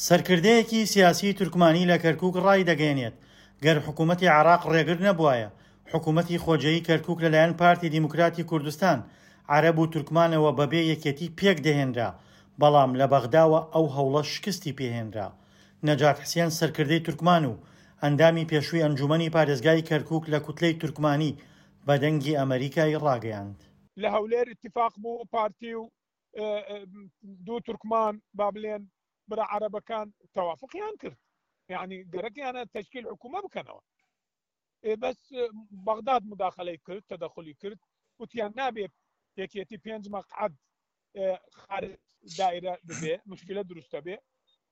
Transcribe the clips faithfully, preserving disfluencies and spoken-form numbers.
سەرکردەیەکی سیاسی تورکمانی لە کەرکوک ڕایدەگەیەنێت، گەر حکوومەتی عێراق ڕێگر نەبوایە، حکوومەتی خۆجێیی کەرکوک لەلایەن پارتی دیموکراتی کوردستان، عەرەب و تورکمانەوە بەبێ یەکێتی پێکدەهێنرا، بەڵام لە بەغداوە ئەو هەوڵە شکستی پێهێنرا. نەجات حسێن سەرکردەی تورکمان و ئەندامی پێشووی ئەنجوومەنی پارێزگای کەرکوک لە کوتلەی تورکمانی بە دەنگی ئەمەریکای ڕاگەیاند. لە هەولێر ئیتیفاق بوو پارتی و دوو تورکمان با بلێن برا عەرەبەکان تەوافقیان کرد، یعنی گەرەکیانە تەشکیل حکوومە بکەنەوە. بەس بەغداد مداخلەی کرد، تەدەخلی کرد، وتیان نابێ یەکێتی پێنج مەقعەد خارج دایرە ببێ، مشکلە دروستە بێ.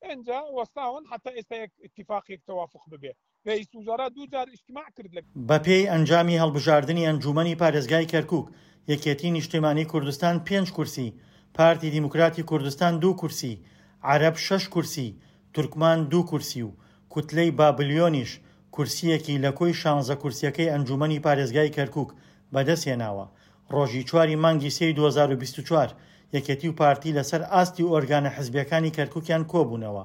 ئینجا وەستاون حتا ئێستا یەک ئیتیفاقێک تەوافق ببێ. رئیس وزراء دوو جار اجتماع کرد لە بەپێی ئەنجامی هەڵبژاردنی ئەنجوومەنی پارێزگای کەرکوک، یەکێتی نیشتیمانی کوردستان پێنج کورسی، پارتی دیموکراتی کوردستان دوو کورسی، عەرەب شەش کورسی، تورکمان دوو کورسی و کوتلەی بابلیۆنیش کورسیەکی لە کۆی شانزە کورسیەکەی ئەنجوومەنی پارێزگای کەرکوک بەدەستهێناوە. ڕۆژی چواری مانگی سێی دوو هەزار و بیست و چوار یەکێتی و پارتی لەسەر ئاستی ئۆرگانە حزبیەکانی کەرکوکیان کۆبوونەوە.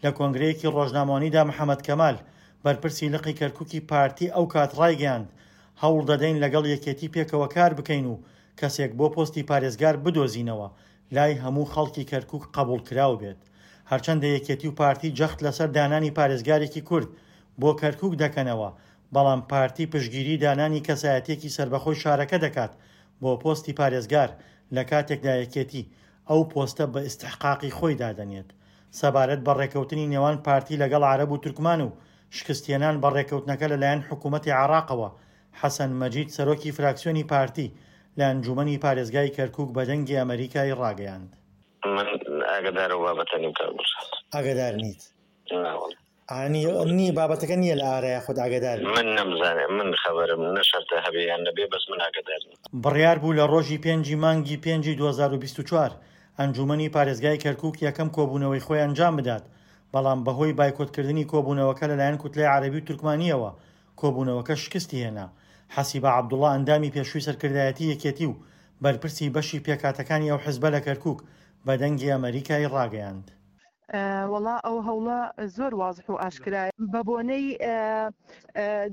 لە کۆنگرەیەکی ڕۆژنامەوانیدا محەممەد کەمال بەرپرسی لقی کەرکوکی پارتی ئەو کات ڕایگەیاند، هەوڵ دەدەین لەگەڵ یەکێتی پێکەوە کار بکەین و کەسێک بۆ پۆستی پارێزگار بدۆزینەوە لای هەموو خەڵکی کەرکوک قبوڵکراو بێت. هەرچەندە یەکێتی و پارتی جەخت لەسەر دانانی پارێزگارێکی کورد بۆ کەرکوک دەکەنەوە، بەڵام پارتی پشتگیری دانانی کەسایەتێکی سەربەخۆی شارەکە دەکات بۆ پۆستی پارێزگار، لە کاتێکدا یەکێتی ئەو پۆستە بە ئیستحقاقی خۆی دادەنێت. سەبارەت بە ڕێکەوتنی نێوان پارتی لەگەڵ عەرەب و تورکمان و شکستهێنان بە ڕێکەوتنەکە لەلایەن حکوومەتی عێراقەوە، حەسەن مەجید سەرۆکی فراکسیۆنی پارتی لە ئەنجوومەنی پارێزگای کەرکوک بە دەنگی ئەمەریکای ڕاگەیاند. من ئاگادار و بابەتە نیم کاک دڵشاد. ئاگادار نیت؟ ناوەڵ. ئانی نی بابەتەکە نییە لە ئارای خۆت ئاگادار نیت؟ من نەمزانێ، من خەبەرم نەشەرتە هەبێ یان نەبێ، بەس من ئاگادار نیم. بڕیار بوو لە ڕۆژی پێنجی مانگی پێنجی دوو هەزار و بیست و چوار ئەنجوومەنی پارێزگای کەرکوک یەکەم کۆبوونەوەی خۆی ئەنجام بدات، بەڵام بەهۆی بایکۆتکردنی کۆبوونەوەکە لەلایەن کوتلەی عەرەبی و تورکمانیەوە کۆبوونەوەکە شکستی هێنا. حەسیبە عەبدوڵڵا ئەندامی پێشووی سەرکردایەتی یەکێتی و بەرپرسی بەشی پێکهاتەکانی ئەو حزبە لە کەرکوک بە دەنگی ئەمەریکای ڕاگەیاند. وەڵا ئەو هەوڵە زۆر وازح و ئاشکرایە. بە بۆنەی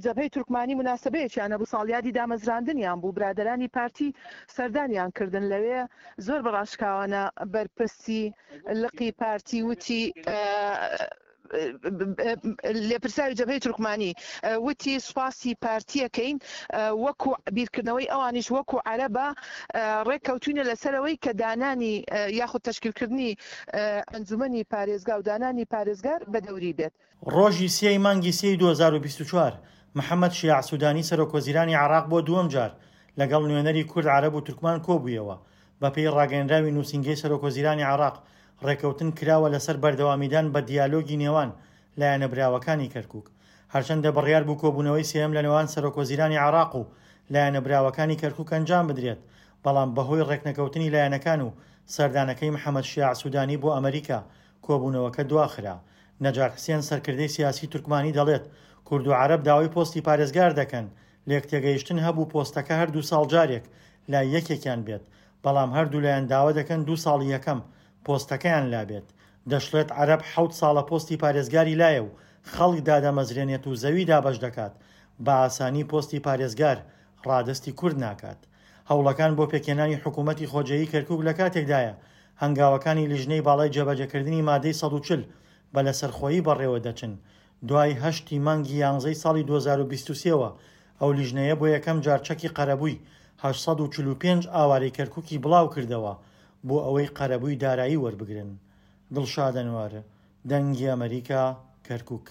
جەبهەی تورکمانی مناسبەیەکیان هەبوو، ساڵیادی دامەزراندنیان بوو، برادەرانی پارتی سەردانیان کردن لەوێ. زۆر بە ڕاشکاوانە بەرپرسی لقی پارتی وتی، لێپرساوی جەبهەی تورکمانی وتی سوپاسی پارتیەکەین، وەکو بیرکردنەوەی ئەوانیش وەکو عەرەبە ڕێککەوتوینە لەسەرەوەی کە دانانی یاخود تەشکیلکردنی ئەنجومەنی پارێزگا و دانانی پارێزگار بە دەوری بێت. ڕۆژی سێی مانگی سێی دوو هەزار و بیست و چوار محەممەد شیاع سودانی سەرۆک وەزیرانی عێراق بۆ دووەم جار لەگەڵ نوێنەری کورد عەرەب و تورکمان کۆبوویەوە. بەپێی ڕاگەیەنراوی نووسینگەی سەرۆک وەزیرانی عێراق ڕێکەوتن کراوە لەسەر بەردەوامیدان بە دیالۆگی نێوان لایەنە براوەکانی کەرکوک. هەرچەندە بڕیار بوو کۆبوونەوەی سێیەم لە نێوان سەرۆک وەزیرانی عێراق و لایەنە براوەکانی کەرکوک ئەنجام بدرێت، بەڵام بەهۆی ڕێکنەکەوتنی لایەنەکان و سەردانەکەی محەممەد شیاع سودانی بۆ ئەمریکا کۆبوونەوەکە دواخرا. نەجات حسێن سەرکردەی سیاسی تورکمانی دەڵێت کورد و عەرەب داوای پۆستی پارێزگار دەکەن، لێک تێگەیشتن هەبوو پۆستەکە هەر دوو ساڵ جارێک لای یەکێکیان بێت، بەڵام هەردوو لایەن داوا دەکەن دوو ساڵی یەکەم پۆستەکەیان لابێت. دەشڵێت عەرەب حەوت ساڵە پۆستی پارێزگاری لایە و خەڵک دادەمەزرێنێت و زەوی دابەش دەکات، بە ئاسانی پۆستی پارێزگار ڕادەستی کورد ناکات. هەوڵەکان بۆ پێکهێنانی حکوومەتی خۆجێیی کەرکوک لە کاتێکدایە هەنگاوەکانی لیژنەی باڵای جێبەجێکردنی مادەی سەد و چل بە لەسەرخۆیی بەڕێوە دەچن. دوای هەشتی مانگی یانزەی ساڵی دوو هەزار و بیست و سێوە ئەو لیژنەیە بۆ یەکەم جار چەکی قەرەبووی هەشت سەد و چل و پێنج ئاوارەی کەرکوکی بڵاو کردەوە بۆ ئەوەی قەرەبووی دارایی وەربگرن. دڵشاد ئەنوەر، دەنگی ئەمریکا، کەرکوک.